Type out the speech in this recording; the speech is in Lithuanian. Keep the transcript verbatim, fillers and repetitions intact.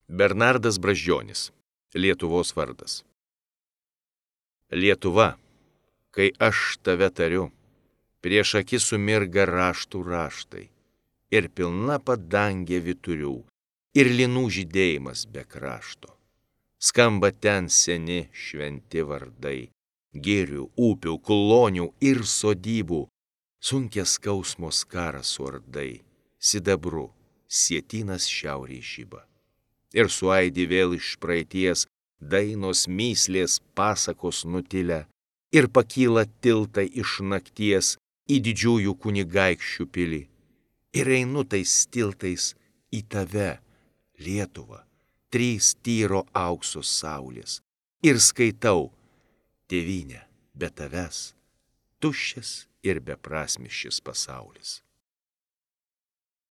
Bernardas Brazdžionis. Lietuvos vardas. Lietuva, kai aš tave tariu, prieš akis sumirga raštų raštai, ir pilna padangė vyturių, ir linų žydėjimas be krašto. Skamba ten seni šventi vardai, girių, upių, klonių ir sodybų, sunkės skausmo skaras suardai, sidabru sietynas šiaurėj žiba. Ir suaidi vėl iš praeities dainos myslės pasakos nutilę, ir pakyla tiltai iš nakties į didžiųjų kunigaikščių pilį. Ir einu tais tiltais į tave, Lietuva, trys tyro aukso saulės, ir skaitau, tėvynė, be tavęs, tuščias ir beprasmis šis pasaulis.